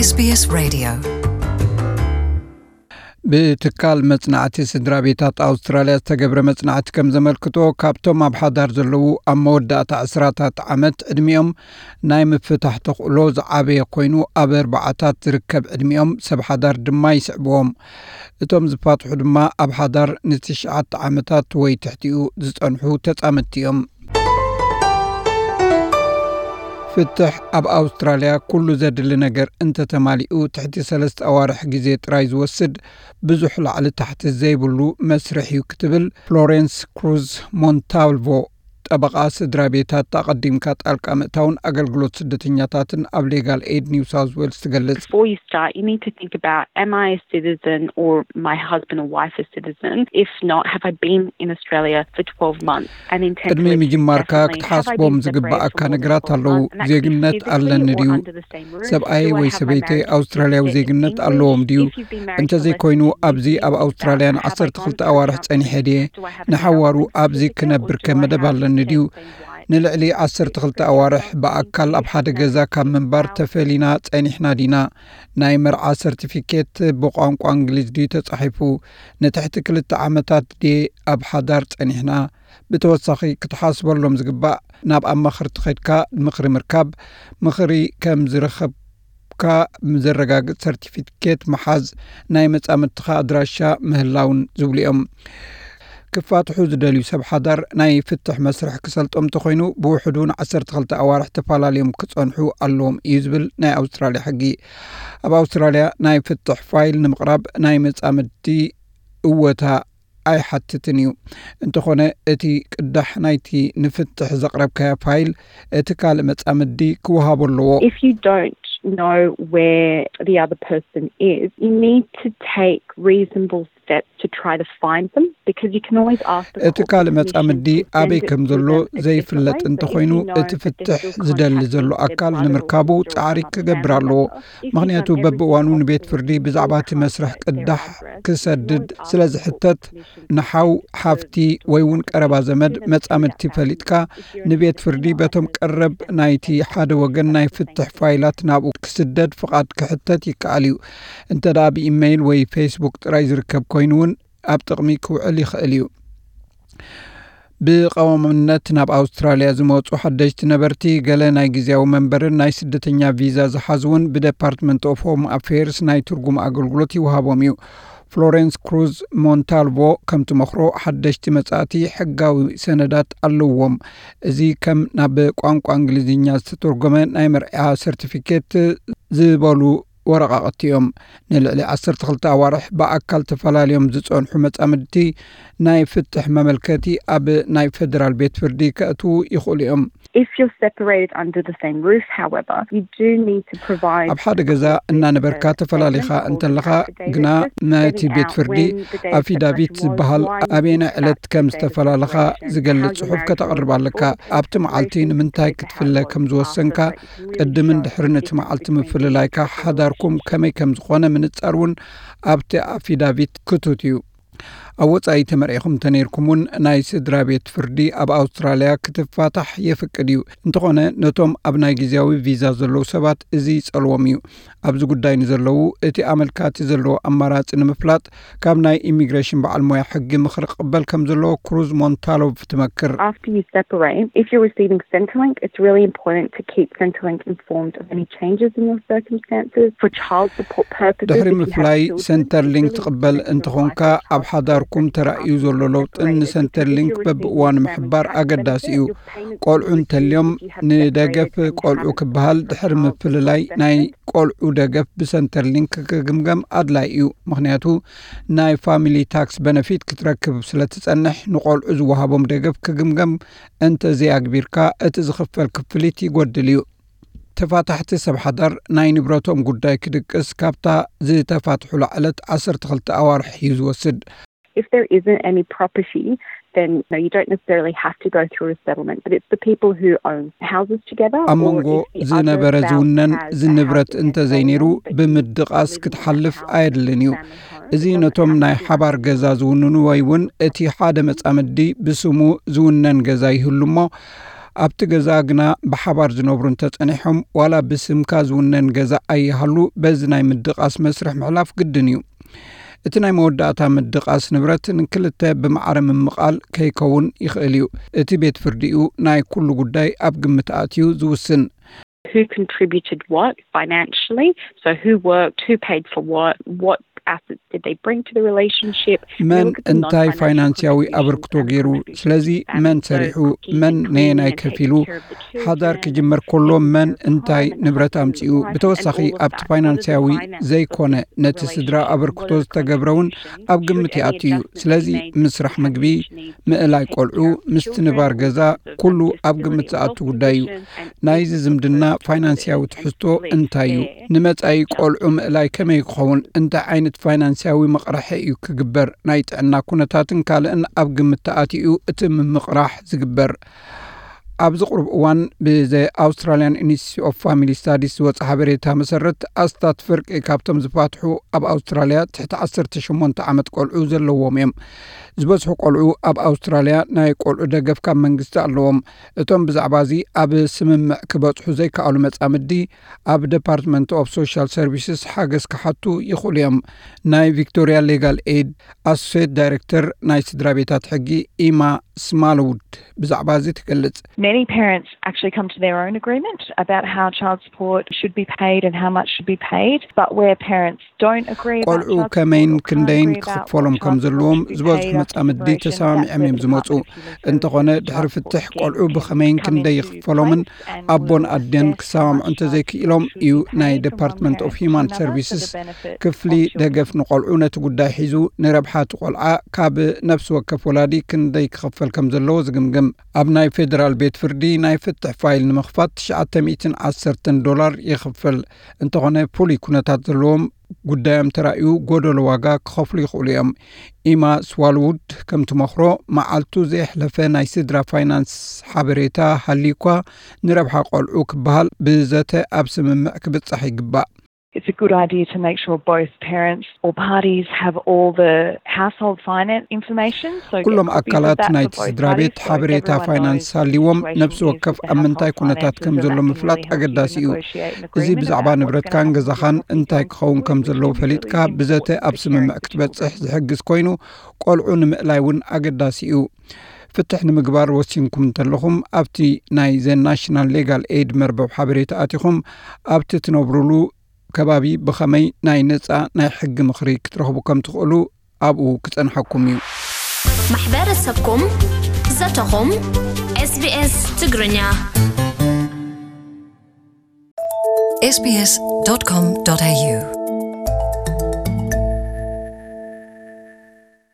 SBS Radio. ብትካል መጽናዕቲ ስድራ ቤታት ኣውስትራልያ ዝተገብረ መጽናዕቲ ከም ዘመልክቶ፣ ካብቶም ኣብ ሓዳር ዘለዉ ኣብ መወዳእታ ዕስራታት ዓመት ዕድሚኦም ናይ ምፍታሕ ተኽእሎ ዝዓበየ ኮይኑ፣ ኣብ ኣርባዓታት ዝርከብ ዕድሚኦም ሰብ ሓዳር ድማ ይስዕብዎም። እቶም ዝፋትሑ ድማ ኣብ ሓዳር ንትሽዓተ ዓመታት ወይ ትሕቲኡ ዝጸንሑ ተጻመድቲ እዮም። ፍትሕ ኣብ ኣውስትራልያ ኩሉ ዘድሊ ነገር እንተተማሊኡ ትሕቲ ሰለስተ ኣዋርሕ ግዜ ጥራይ ዝወስድ ብዙሕ ላዕሊ ታሕቲ ዘይብሉ መስርሕ እዩ ክትብል ፍሎሬንስ ክሩዝ ሞንታልቮ ጠበቓ ስድራ ቤታት ኣቐዲምካ ጣልቃ ምእታውን ኣገልግሎት ስደተኛታትን ኣብ ሌጋል ኤድ ኒው ሳውዝ ዌልስ ትገልጽ። Before you start, you need to think about, am I a citizen or my husband or wife a citizen? If not, have I been in Australia for twelve months? And in ቅድሚ ምጅማርካ ክትሓስቦም ዝግባኣካ ነገራት ኣለዉ። ዜግነት ኣለኒ ድዩ? ሰብኣይ ወይ ሰበይተይ ኣውስትራልያዊ ዜግነት ኣለዎም ድዩ? እንተዘይኮይኑ ኣብዚ ኣብ ኣውስትራልያ ንዓሰርተ ክልተ ኣዋርሕ ጸኒሐ ድየ? ንሓዋሩ ኣብዚ ክነብር ከ መደብ ኣለኒ ድዩ? ንልዕሊ ዓሰርተ ክልተ ኣዋርሕ ብኣካል ኣብ ሓደ ገዛ ካብ ምንባር ተፈሊና ጸኒሕና ዲና? ናይ መርዓ ሰርቲፊኬት ብቋንቋ እንግሊዝ ድዩ ተጻሒፉ? ንትሕቲ ክልተ ዓመታት ድየ ኣብ ሓዳር ጸኒሕና? ብተወሳኺ ክትሓስበሎም ዝግባእ፣ ናብ ኣማኸርቲ ከድካ ምኽሪ ምርካብ፣ ምኽሪ ከም ዝረኸብካ ዘረጋግጽ ሰርቲፊኬት ምሓዝ፣ ናይ መጻምድትኻ ኣድራሻ ምህላውን ዝብሉ እዮም። ክፋትሑ ዝደልዩ ሰብ ሓዳር ናይ ፍትሕ መስርሕ ክሰልጦም እንተኾይኑ፣ ብውሕዱ ን ዓሰርተ ክልተ ኣዋርሕ ተፈላለዮም ክጸንሑ ኣለዎም እዩ ዝብል ናይ ኣውስትራልያ ሕጊ። ኣብ ኣውስትራልያ ናይ ፍትሕ ፋይል ንምቕራብ ናይ መጻምድቲ እወታ ኣይሓትትን እዩ። እንተኾነ፣ እቲ ቅዳሕ ናይቲ ንፍትሕ ዘቕረብካዮ ፋይል እቲ ካልእ መጻምዲ ክወሃቦ ኣለዎ። If you don't know where the other person is, you need to take reasonable steps to try to find them, because you can always ask the እቲ ካልእ መጻምዲ ኣበይ ከም ዘሎ ዘይፍለጥ እንተኾይኑ፣ እቲ ፍትሕ ዝደሊ ዘሎ ኣካል ንምርካቡ ጻዕሪ ክገብር ኣለዎ። ምኽንያቱ በብእዋኑ ንቤት ፍርዲ ብዛዕባ እቲ መስርሕ ቅዳሕ ክሰድድ ስለ ዝሕተት፣ ንሓው፣ ሓፍቲ ወይ እውን ቀረባ ዘመድ መጻምድቲ ፈሊጥካ፣ ንቤት ፍርዲ በቶም ቀረብ ናይቲ ሓደ ወገን ናይ ፍትሕ ፋይላት ናብኡ ክስደድ ፍቓድ ክሕተት ይከኣል እዩ። እንተ ደኣ ብኢመይል ወይ ፌስቡክ ጥራይ ዝርከብ ኮይኑ እውን ኣብ ጥቕሚ ክውዕል ይኽእል እዩ። ብቐዋምነት ናብ ኣውስትራልያ ዝመጹ ሓደሽቲ ነበርቲ፣ ገለ ናይ ግዜያዊ መንበርን ናይ ስደተኛ ቪዛ ዝሓዙ እውን ብደፓርትመንት ኦፍ ሆም ኣፌርስ ናይ ትርጉም ኣገልግሎት ይወሃቦም እዩ። ፍሎሬንስ ክሩዝ ሞንታልቮ ከም ትመኽሮ፣ ሓደሽቲ መጻእቲ ሕጋዊ ሰነዳት ኣለዎም። እዚ ከም ናብ ቋንቋ እንግሊዝኛ ዝተተርጎመ ናይ መርዓ ሰርቲፊኬት ዝበሉ ወረቓቕቲ እዮም። ንልዕሊ ዓሰርተ ክልተ ኣዋርሕ ብኣካል ተፈላልዮም ዝጸንሑ መጻምድቲ ናይ ፍትሕ መመልከቲ ኣብ ናይ ፌደራል ቤት ፍርዲ ከእትዉ ይኽእሉ እዮም። If you're separated under the same roof, however, you do need to provide ኣብ ሓደ ገዛ እናነበርካ ተፈላሊኻ እንተለኻ ግና፣ ነቲ ቤት ፍርዲ ኣፊዳቪት ዝበሃል ኣበየናይ ዕለት ከም ዝተፈላለኻ ዝገልጽ ጽሑፍ ከተቕርብ ኣለካ። ኣብቲ መዓልቲ ንምንታይ ክትፍለ ከም ዝወሰንካ፣ ቅድምን ድሕርን እቲ መዓልቲ ምፍልላይካ፣ ሓዳርኩም ከመይ ከም ዝኾነ ምንጻር እውን ኣብቲ ኣፊዳቪት ክቱት እዩ። ኣብ ወጻኢ ተመርዒኹም እንተነይርኩም እውን፣ ናይ ስድራ ቤት ፍርዲ ኣብ ኣውስትራልያ ክትፋታሕ የፍቅድ እዩ። እንተኾነ፣ ነቶም ኣብ ናይ ግዜያዊ ቪዛ ዘለዉ ሰባት እዚ ይጸልዎም እዩ። ኣብዚ ጉዳይ ንዘለዉ፣ እቲ ኣመልካቲ ዘለዎ ኣማራጺ ንምፍላጥ፣ ካብ ናይ ኢሚግሬሽን በዓል ሞያ ሕጊ ምኽሪ ክቕበል ከም ዘለዎ ክሩዝ ሞንታሎቭ ትመክር። After you separate, if you're receiving Centrelink, it's really important to keep Centrelink informed of any changes in your circumstances. For child support purposes, ድሕሪ ምፍላይ ሰንተርሊንክ ትቕበል እንተኾንካ፣ ኣብ ሓዳርኩም ተራእዩ ዘሎ ለውጥን ንሰንተርሊንክ በብእዋኑ ምሕባር ኣገዳሲ እዩ። ቆልዑ እንተልዮም፣ ንደገፍ ቆልዑ ክበሃል ድሕሪ ምፍልላይ ናይ ቆልዑ ደገፍ ብሰንተርሊንክ ክግምገም ኣድላይ እዩ። ምኽንያቱ፣ ናይ ፋሚሊ ታክስ በነፊት ክትረክብ ስለ ትጸንሕ፣ ንቆልዑ ዝወሃቦም ደገፍ ክግምገም እንተ ዘይኣግቢርካ፣ እቲ ዝኽፈል ክፍሊት ይጎድል እዩ። ተፋታሕቲ ሰብ ሓዳር ናይ ንብረቶም ጉዳይ ክድቅስ ካብታ ዝተፋትሑላ ዕለት ዓሰርተ ክልተ ኣዋርሕ እዩ ዝወስድ። If there isn't any property, then, you know, you don't necessarily have to go through a settlement, but it's the people who own houses together. ኣብ መንጎ ዝነበረ ዝውነን ዝንብረት እንተዘይነይሩ፣ ብምድቓስ ክትሓልፍ ኣየድልን እዩ። እዚ ነቶም ናይ ሓባር ገዛ ዝውንኑ ወይ እውን እቲ ሓደ መጻምዲ ብስሙ ዝውነን ገዛ ይህሉ እሞ፣ ኣብቲ ገዛ ግና ብሓባር ዝነብሩ እንተጸኒሖም፣ ዋላ ብስምካ ዝውነን ገዛ ኣይሃሉ፣ በዚ ናይ ምድቓስ መስርሕ ምሕላፍ ግድን እዩ። እቲ ናይ መወዳእታ ምድቓስ ንብረት ንክልተ ብማዕረ ምምቓል ከይከውን ይኽእል እዩ። እቲ ቤት ፍርዲ እዩ ናይ ኩሉ ጉዳይ ኣብ ግምት ኣእትዩ ዝውስን። Who contributed what financially? So who worked, who paid for what, what assets did they bring to the relationship? መን እንታይ ፋይናንስያዊ ኣበርክቶ ገይሩ? ስለዚ መን ሰሪሑ፣ መን ነየናይ ከፊሉ? ሓዳር ክጅመር ከሎ መን እንታይ ንብረት ኣምጺኡ? ብተወሳኺ ኣብቲ ፋይናንስያዊ ዘይኮነ ነቲ ስድራ ኣበርክቶ ዝተገብረ እውን ኣብ ግምት ይኣቱ እዩ። ስለዚ ምስራሕ ምግቢ፣ ምእላይ ቆልዑ፣ ምስትንባር ገዛ፣ ኩሉ ኣብ ግምት ዝኣቱ ጉዳይ እዩ። ናይዚ ዝምድና ፋይናንስያዊ ትሕዝቶ እንታይ እዩ? ንመጻኢ ቆልዑ ምእላይ ከመይ ክኸውን? እንታይ ዓይነት ፋይናንስያዊ መቕርሒ እዩ ክግበር? ናይ ጥዕና ኩነታትን ካልእን ኣብ ግምት ተኣትዩ እቲ ምምቕራሕ ዝግበር። ኣብዚ ቁሩብ እዋን ብዘ ኣውስትራሊያን ኢንስቲትዩት ኦፍ ፋሚሊ ስታዲስ ዝወፀ ሓበሬታ መሰረት፣ ኣስታት ፍርቂ ካብቶም ዝፋትሑ ኣብ ኣውስትራሊያ ትሕቲ ዓሰርተ ሸሞንተ ዓመት ቆልዑ ዘለዎም እዮም። ዝበዝሑ ቆልዑ ኣብ ኣውስትራሊያ ናይ ቆልዑ ደገፍ ካብ መንግስቲ ኣለዎም። እቶም ብዛዕባ እዚ ኣብ ስምምዕ ክበፅሑ ዘይከኣሉ መጻምዲ፣ ኣብ ደፓርትመንት ኦፍ ሶሻል ሰርቪስስ ሓገዝ ክሓቱ ይኽእሉ እዮም። ናይ ቪክቶሪያ ሌጋል ኤድ ኣሶሴት ዳይሬክተር ናይ ስድራ ቤታት ሕጊ ኢማ ስማልውድ ብዛዕባ እዚ ትገልጽ። Many parents actually come to their own agreement about how child support should be paid and how much should be paid, but where parents don't agree about ቆልዑ child ከመይን support or can't ክንደይን agree about ክኽፈሎም what ከም child ዘለዎም support should be ዝበዝሑ paid after መጻምዲ separation, ተሰማሚዖም እዮም that's ዝመጹ። where the department of human እንተኾነ ድሕሪ child ፍትሕ support ቆልዑ scheme ብኸመይን come ክንደይ into ይኽፈሎምን place and ኣቦን will ኣዴን assess ክሰማምዑ how much እንተዘይክኢሎም should እዩ be ናይ paid from ደፓርትመንት one ኦፍ to ሂማን another for ሰርቪስስ the benefit ክፍሊ of children. ደገፍ ንቆልዑ ነቲ ጉዳይ ሒዙ ንረብሓ እቲ ቆልዓ ካብ ነፍሲ ወከፍ ወላዲ ክንደይ ክኽፈል ከም ዘለዎ ዝግምግም። ኣብ ናይ ፌደራል ቤት ፍርዲ ናይ ፍትሕ ፋይል ንምኽፋት ትሽዓተ ሚእትን ዓሰርተን ዶላር ይኽፈል። እንተኾነ ፍሉይ ኩነታት ዘለዎም ጉዳዮም ተራእዩ ጎደሎ ዋጋ ክኸፍሉ ይኽእሉ እዮም። ኢማ ስዋልውድ ከም ትመኽሮ፣ መዓልቱ ዘየሕለፈ ናይ ስድራ ፋይናንስ ሓበሬታ ሃልዩ እኳ ንረብሓ ቆልዑ ክበሃል ብዘተ ኣብ ስምምዕ ክብጻሕ ይግባእ። It's a good idea to make sure both parents or parties have all the household finance information. So get ኩሎም copies of ኣካላት that for ናይቲ both ስድራ ቤት parties so ሓበሬታ everyone ፋይናንስ knows the ሃልይዎም situation ነፍሲ is ወከፍ with ኣብ the ምንታይ household ኩነታት finances ከም and ዘሎ that can ምፍላጥ really help you ኣገዳሲ in እዩ። negotiate an እዚ agreement ብዛዕባ about what's ንብረትካን going to happen ገዛኻን with the እንታይ kids. ክኸውን ከም It's ዘለዎ particularly ፈሊጥካ significant ብዘተ with ኣብ the ስምምዕ parents ክትበጽሕ involved. ዝሕግዝ ኮይኑ ቆልዑ ንምእላይ እውን ኣገዳሲ እዩ። ፍትሕ ንምግባር ወሲንኩም እንተለኹም ኣብቲ ናይ ዘ ናሽናል ሌጋል ኤድ መርበብ ሓበሬታ ኣቲኹም ኣብቲ ትነብሩሉ ከባቢ ብኸመይ ናይ ነጻ ናይ ሕጊ ምኽሪ ክትረኽቡ ከም ትኽእሉ ኣብኡ ክጸንሓኩም እዩ። ማሕበረሰብኩም ዘተኹም ኤስቢኤስ ትግርኛ sbs.com.au